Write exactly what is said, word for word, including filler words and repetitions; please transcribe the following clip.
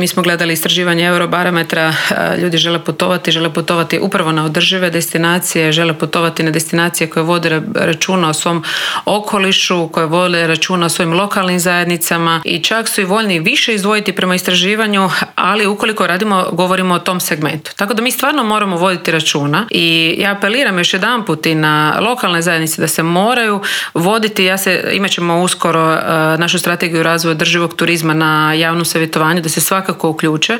Mi smo gledali istraživanje Eurobarometra, ljudi žele putovati, žele putovati upravo na održive destinacije, žele putovati na destinacije koje vode računa o svom okolišu, koje vode računa o svojim lokalnim zajednicama i čak su i voljni više izdvojiti prema istraživanju, ali ukoliko radimo, govorimo o tom segmentu. Tako da mi stvarno moramo voditi računa i ja apeliram još jedanput i na lokalne zajednice da se moraju voditi, ja se, imat ćemo uskoro uh, našu strategiju razvoja održivog turizma na javnom savjetovanju, da se svakako uključe.